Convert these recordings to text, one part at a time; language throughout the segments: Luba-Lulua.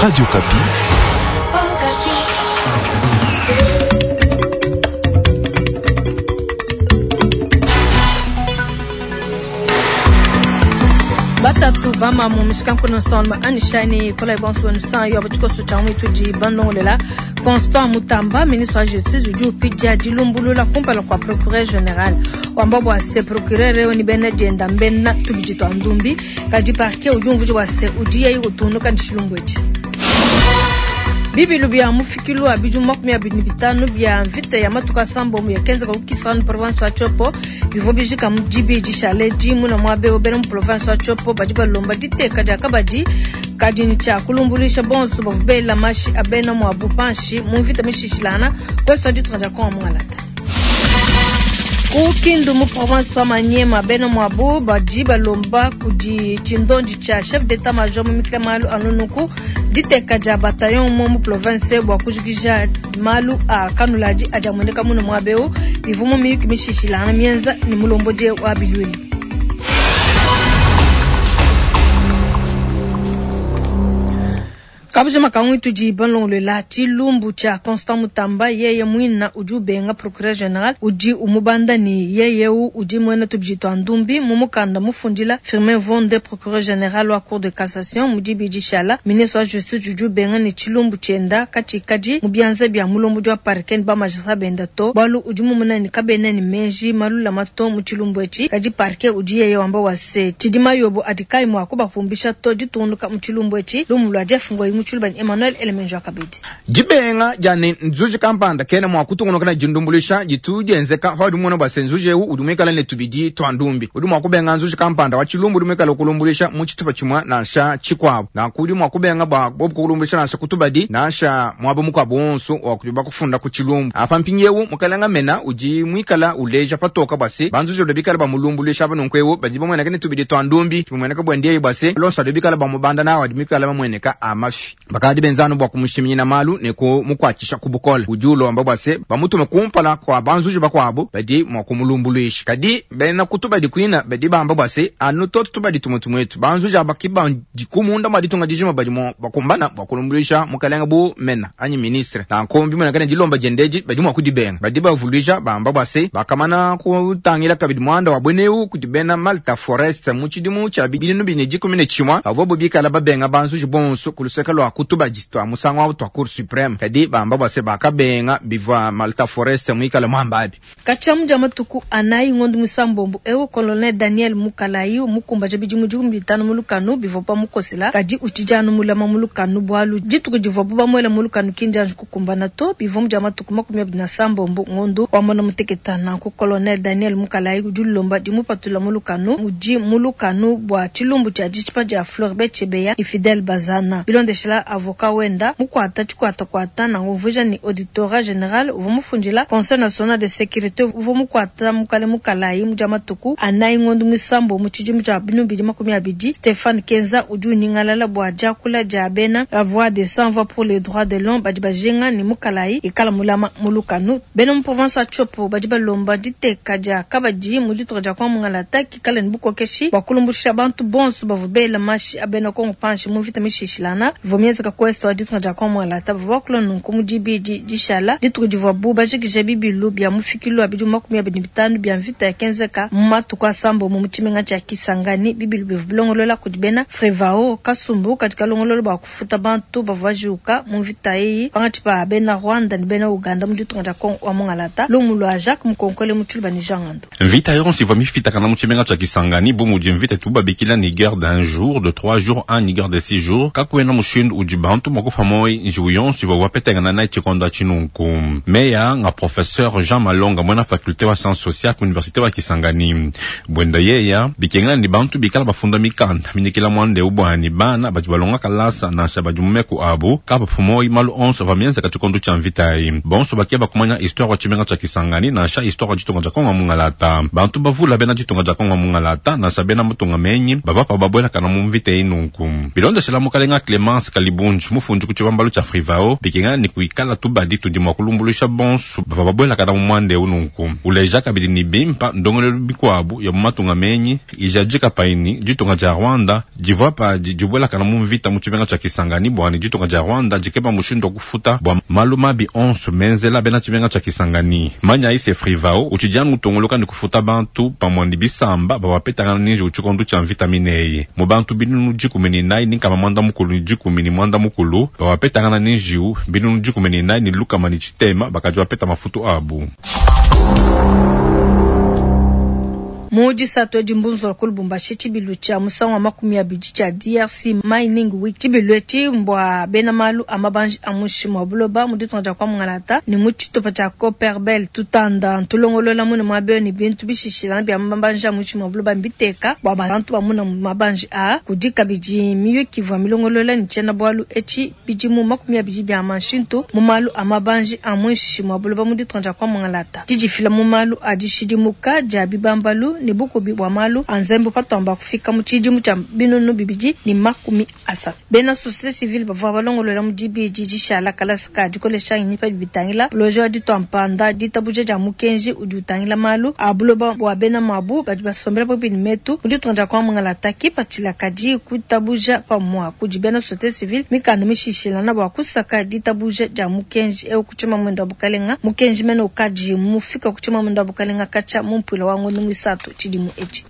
Radio Okapi. Batatu bamamu mishikanku nsonma anishani kola bonso nsan yo tshikoso tshia mwitu di banongolela Constant Mutamba ministre wa justice udi upidia dilumbulula kumpala kua procureur general wamba bua se procureur eu ni bena dienda mbena tubidi tua ndumbi kadi parquet udi umvuija bua se udi yeyi utungunuka ne tshilumbu etshi. Bibilu bia mufikilu wa bidimu 25 bia mvita ya matuku asambombo yakenzeka ku Kisangani province wa Tshopo bivua bijika mu dibi dishale edi muna muaba eu bena mu province wa Tshopo badi balomba diteka dia kabadi kadi ne tshia kulumbuluisha bonso bavua bela mashi a bena muabu panshi mu mvita mishishilangana kuesu wa ditunga dia Kongo mungalata. Ku Kindu mu province wa Maniema bena muabu badi balomba kudi tshindondi tshia chef d'etat major mumikila malu a nunuku diteka dia bataillon umue mu province bua kujikija malu a kanuladi adi amueneka muna muaba eu bivua mu miyuki mishishilangana mienza ne mulombodi wa biluilu. Kabujima kangu tudi balongolola tshilumbu tshia Constant Mutamba yeye muina udi ubenga procureur general udi umubanda ne yeye eu udi muena tubidi tua ndumbi mu mukanda mufundila Firmin Mvonde procureur general wa cour de cassation mu dibidi shala ministre wa justice udi ubenga ne tshilumbu tshienda katshikadi mu bianza bia mulombodi wa parquet ne ba magistrat benda to bualu udi mumona ne kabena ne meji malulama to mu tshilumbu etshi kadi parquet udi yeye wamba wa se tshidi mayobo adi kayi mua kubapumbisha to ditungunuka mu tshilumbu etshi lumu lua Jeff Ngoyi mu tshiluba ne Emmanuel Elemenjo kabidi. Dibenga dia ne nzuji kampanda kena mua kutungunuka ne dindumbuluisha ditu dienzeka paudi umona bua se nzuji eu udi muikale ne tubidi tua ndumbi. Udi mua kubenga nzuji kampanda wa tshilumbu udi muikale ukulumbuluisha mu tshitupa tshimue nansha tshikuabu. Nanku udi mua kubenga bua bobu kukulumbuluisha nansha ku tubadi nansha muaba mukuabu wonso wa kudibu bakufunda ku tshilumbu. Apa mpindieu Mukalenga mena udi muikala uleja patoka bua se banzuji badi bikale bamulumbuluisha aba nunku eu badi bamueneka ne tubidi tua ndumbi. Tshimueneka buende yeye bua se lonso adi bikale bamubanda nawu adi mikale mamueneka a mafi. Bakadi benza anu bua kumushiminyina malu ne kumukuatshisha ku bukole. Udi ulomba bua se, bamutume kumpala kua banzuji bakuabu badi mua kumulumbuluisha. Kadi bena ku tubadi kuina badi bamba bua se, anu tuotu tubadi tumue tumue etu, banzuji aba ki badiku munda mua ditunga dijima badi mua bakumbana bua kulumbuluisha mukalenge bu mena anyi ministre. Nanku mbimueneka ne, dilomba diende edi badi mua kudibenga. Badi bavuluija bamba bua se, bakamana kutangila kabidi muanda wa buena eu kudi bena Malta Forest mu tshidimu tshia 2011 pavuabu bikala babenga banzuji bonso ku luseke lua ku tubadi tua musangu au tua Cour supreme, kadi bamba bua se bakabenga bivua Malta Forest muikale muamba abi. Katshia mu dia matuku anayi ngondo muisambombo eu, Colonel Daniel Mukalayi mukumbaja bidimu 15 mu lukanu bivua bamukosela, kadi utshidi anu mulama mu lukanu bualu dituku divuabu bamuela mu lukanu ki ndianji kukumbana to. Bivua mu dia matuku 26 ngondo wa muanda muteketa. Nanku Colonel Daniel Mukalayi udi ulomba dimupatula mu lukanu. Udi mu lukanu bua tshilumbu tshia ditshipa dia Floribert Chebeya ne Fidel Bazana. Bilondeshela avocat wenda mukuata tshikuatakuata, nanku umvuija ne auditorat general uvua mufundila Conseil national de securite uvua mukuata mukale Mukalayi mu dia matuku anayi ngondo muisambombo mu tshidimu tshia 2020. Stephane Kenza udi unyingalala bua diakula dia bena la voix des sans voix pour les droits de l'homme badi bajinga ne Mukalayi ikala mulama mu lukanu. Bena mu province wa Tshopo badi balomba diteka dia kabadi mu ditunga dia Kongo Mungalata kikale ne bukokeshi bua kulumbuluisha bantu bonso bavua bela mashi a bena Kongo panshi mu mvita mishishilangana ivua mienzeka ku est wa ditunga dia Kongo Mungalata. Bavua bakula nunku mu dibidi dishala, dituku divuabu bajikija bibilu bia mufikilu wa bidimu 25 bia mvita yakenzeka mu matuku asambombo mu tshimenga tshia Kisangani. Bibilu bivua bilongolola kudi bena Frevao, kasumbu kadi kalongolola bua kufuta bantu bavua bajiwuka mu mvita eyi pankatshi pa bena Rwanda ne bena Ouganda mu ditunga dia Kongo wa mungalata. Lumu lua Jacques Mukonkole mu Tshiluba ne Jean Ngandu. Mvita yonso ivua mifitakana mu tshimenga tshia Kisangani bu mudi mvita itubu babikila ne guerre d'un jour, de trois jours anyi guerre de six jours, kakuena mushindu udi bantu mua kupua muoyo njiwu yonso ivuabu bapetangana nayi tshikondo atshi nunku. Meyi aa nga professeur Jean Malonga, muena faculte wa sciences sociales ku universite wa Kisangani. Buenda yeya, bikengela ne bantu bikala bafunda mikanda minyikila muanda eu bua ne bana badi balonga kalasa nansha badi mu meku abu kabapu muoyo malu onso avua mienzeka tshikondo tshia mvita ayi. Bonso bakeba kumanya histoire wa tshimenga tshia Kisangani nansha histoire wa ditunga dia Kongo wa mungalata. Bantu bavula bena ditunga dia Kongo wa mungalata nansha bena matunga menyi bavua pabu babuelakana mu mvita eyi nunku. Bilondeshela mukalenga Clemence. Libunji, mufundi ku tshibambalu tshia Frivao, bikengela ne kuikala tubadi tudi mua kulumbuluisha bonsu bavua babuelakana mu muanda eu nunku. Uleja kabidi ne bimpa ndongoluelu mikuabu ya mu matunga menyi ijadika payi ne ditunga dia Rwanda divua padi dibuelakana mu mvita mu tshimenga tshia Kisangani bua ne ditunga dia Rwanda dikeba mushindu wa kufuta bua malu mabi onso menzela bena tshimenga tshia Kisangani. Manyayi se Frivao utshidi anu utunguluka ne kufuta bantu pamue ne bisamba bavua bapetangana ne njiwu tshikondo tshia mvita mineyi. Mu bantu 143 414 bavua bapetangana ne njiwu, 14600 bakadi bapeta mafutu abu. Mu disatu edi mbunzula ku Lubumbashi tshibilu tshia musangu wa 20 tshia DRC Mining Week. Tshibilu etshi mbua bena malu a mabanji a muinshi mua buloba mu ditunga dia Kwa-Mungalata ne mu tshitupa tshia Copperbelt. Tutanda ntulongolola mune muaba eu ne bintu bishishilangana bia mabanji a muinshi mua buloba mbiteka bua bantu bamuna mabanji aa. Kudi kabidi miyuki ivua milongolola ne tshiena-bualu etshi bidimu 20 bia manshintu mu malu a mabanji a muinshi mua buloba mu ditunga dia Kwa-Mungalata. Didifila mu malu a dishidimuka dia bibambalu ne bukubi bua malu a nzembu patuamba kufika mu tshidimu tshia 2030. Bena société civile bavua balongolola mu dibidi dishala kalasa ka dikolesha ngenyi pa bitangila projet wa ditua mpanda ditabuja dia mukenji udi utangila malu a buloba bua bena mabu badi basombela pabuipi ne metu mu ditunga dia Kwa-Mungalata. Kipatshila kadi kuitabuja pamua kudi bena société civile mikanda mishishilana bua kusaka ditabuja dia mukenji eu ku tshimamwendo wa bukalenga. Mukenji mene ukadi mufika ku tshimamwendo wa bukalenga katshia mu mpuila wa ngondo muisatu tshidimu etshi.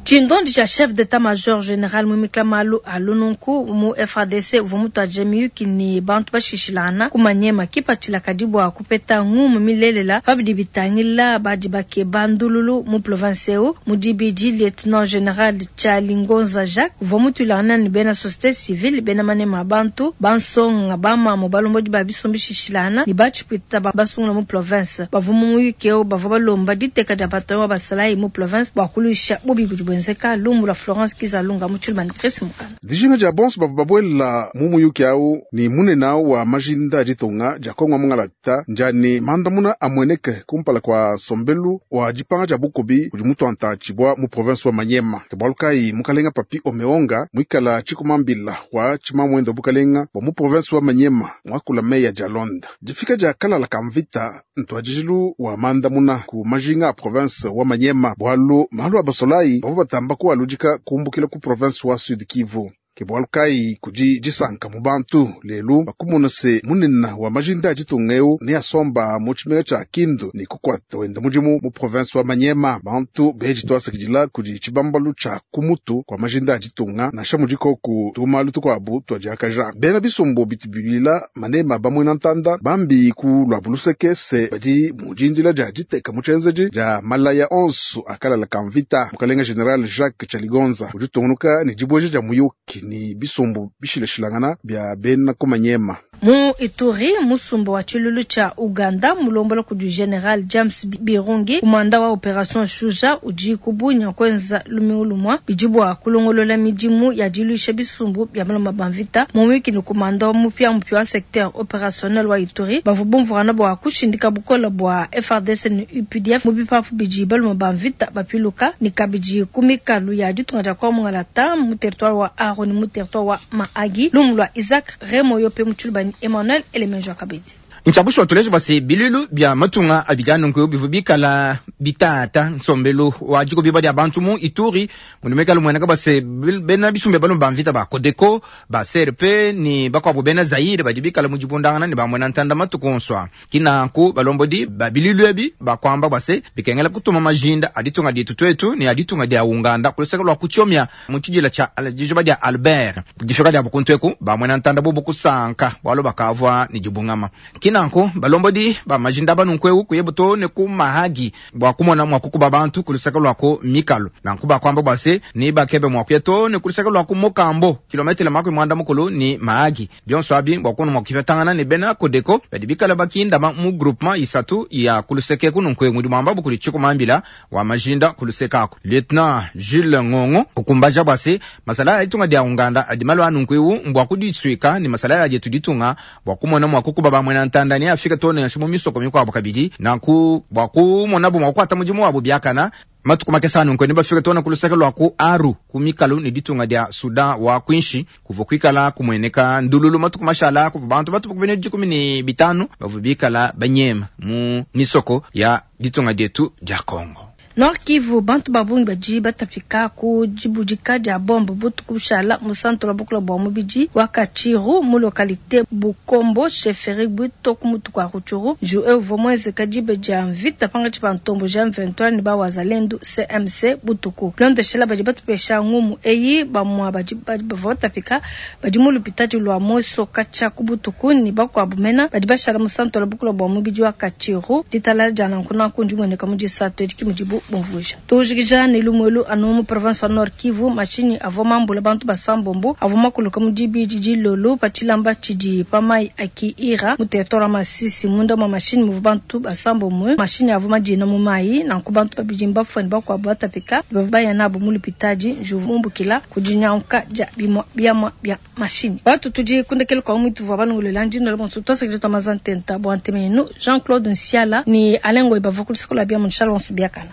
Tshindondi tshia chef d'état-major général muimikila malu a lununku mu FARDC uvua mutuadije miyuki ne bantu bashishilangana ku Maniema. Kipatshila kadi bua kupeta ngumu milelela pa bidi bitangila badi bakeba ndululu mu province eu. Mu dibidi, lieutenant général Tshialingonza Jacques uvua mutuilangana ne bena société civile, bena manema a bantu bansonga, bamamu balombodi ba bisumbu bishishilangana ne batshipwita basungula mu province. Bavua mu muyuki eu bavua balomba diteka dia bataillon wa basalayi mu province bua kuluisha bubi budi buenzeka. Lumbu lua Florence Kizalunga mu Tshilumba ne Chris Mukana. Dijinga dia bonso bavua babuela mu muyuki au ni munene wa majinda a ditunga dia Kongo mungalata njani mandamuna amueneke kumpala kwa nsombelu wa dipanga dia bukubi kudi mutuanta tshibwa mu province wa Maniema. Ke bualu kayi mukalenga Papi Omeonga muikala tshikumambila wa tshimamwendo bukalenga bua mu province wa Maniema muakula meya dia Londa. Difika dia kalala ka mvita ntuadijilu wa mandamuna ku majinga a province wa Maniema bualu malu a basolayi bavua batamba kualudika kumbukila ku province wa Sud Kivu. Ke bualu kayi kudi disanka mu bantu lelu bakumona se munene wa majinda a ditunga eu ne asomba mu tshimenga tshia Kindu ne kukuata wenda mudimu mu province wa Maniema. Bantu beji tuasakidila kudi tshibambalu tshia kumutu kwa majinda a ditunga nansha mudikoku tumalu tukuabu tuadiakaja. Bena bisumbu bitubilila manema bamuena ntanda bambi ku lua buluseke se badi mu dindila dia diteka mu tshienzedi dia malaya onso akalala ka mvita. Mukalenga General Jacques Tshaligonza udi utungunuka ne dibueja dia muyuki ni bisumbu bishilashilangana bia bena ku Maniema. Mu Ituri, musumba wa tshilulu tshia Uganda mulombola kudi General James Birungi, kumanda wa Operation Shuja, udi kubunya kwenza lumingu lumwa bidi bua kulongolola midimu ya diluisha bisumbu bia maloma ba mvita. Mu wiki ni kumanda wa mupya mupya wa secteur opérationnel wa Ituri bavua bumvurana bua kushindika bukola bua FARDC ne UPDF mu bipapu bidi baloma ba mvita bapiluka ne kabidi ku mikalu ya ditunga dia Kongo Mungalata mu territoire wa Aru ne mu territoire wa Mahagi. Lumu lua Isaac Remo Yope mu Tshiluba ni Emmanuel Elemenjo Kabedi. Ntshiabushi watuleje basi bilulu bia matunga abidi nunku bivua bikala bitata nsombelu wa diko biba dia bantu mu Ituri mundu mueneka base bena bisumbe balume ba mvita ba Codeco ba CRP ni bakuabu bena Zaire badi bikala mu dibundangana ne bamwena ntanda matuku onso kinanku balombodi ba bilulu ebi bakwamba base bikengela kutuma majinda aditunga dietu twetu ni aditunga dia Uganda kuluseka lwa kuchomya mu tshidila tsha dijuba dia Albert difika dia bukuntweku bamwena ntanda bobo kusanka bwalo bakavua ni dibungama. Kinanku balombodi ba majinda banunkweu kuyebuto ne ku mahagi bwa kumona mwa kukuba bantu kulusaka lwako mikalo nanku bakwamba bwase ni bakebe mwa kuyeto ne kulusaka lwako mokambo kilometela 35 ni mahagi bionso abi bwa kuno mwa kifetangana ne bena Codeco badi bikala bakindama mu groupement isatu ya kuluseke kununkwe mudi mwamba bukuli chikumambila wa majinda kulusekako Lieutenant Jules Ngongo kukumbaja bwase masala ya itunga dia Uganda adi malo anunkweu mbwa kudiswika ni masala ya jetu ditunga bwa kumona mwa kukuba bamwena ntanda. mitanda neafike too nansha mu misoko mikuabu kabidi. Nanku bua kumonabu mua kukuata mudimu wabu biakana, matuku makese a nunku nebafike too ne ku luseke lua ku Aru, ku mikalu ne ditunga dia Soudan wa kuinshi, kuvua kuikala kumueneka ndululu matuku mashala. Kuvua bantu batue ku binunu 15 bavua bikala banyema mu misoko ya ditunga dietu dia Congo. Nord Kivu, bantu ba bungi badi batapika ku dibudika dia bombe butuku bushala mu centre wa bukula bua mubidi wa Katshiru mu localite Bukombo, chefferie Bwito ku mutu kua Rutshuru. Njiu eu uvua muenzeka diba dia mvita pankatshi pa ntomboji ya M23 ne ba wazalendu CMC butuku. Bilondeshela badi batupesha ngumu eyi, bamua badi bavua batapika badi mu lupitadi lua Mweso katshia ku butuku ne bakuabu mena badi bashala mu centre wa bukula bua mubidi wa Katshiru. Ditalala dia nanku nanku ndimueneka mu disatu edi, ke mudibu bumvuija. Tujikija ne lumuelu anu mu province wa Nord Kivu, mashinyi avua mambula bantu basambombo avua makuluka mu dibidi dilolo pa tshilamba tshidi pa mayi a Kiira mu territoire wa Masisi. Munda mua mashinyi muvua bantu basambombo, mashinyi avua madina mu mayi, nanku bantu babidi mbafue ne bakuabu batapika, bavua baya nabu mu lupitadi. Njiwu mumbukila ku dinyanguka dia bimua biamua bia mashinyi. Batu tudi ku ndekelu kua muitu vua balongolola ndi ndola bonso tuasakidila tua maza ntenta bua ntema yenu. Jean-Claude Nsiala ne Alain Ngoyi bavua ku luseke lua biamu nshala bonso biakana.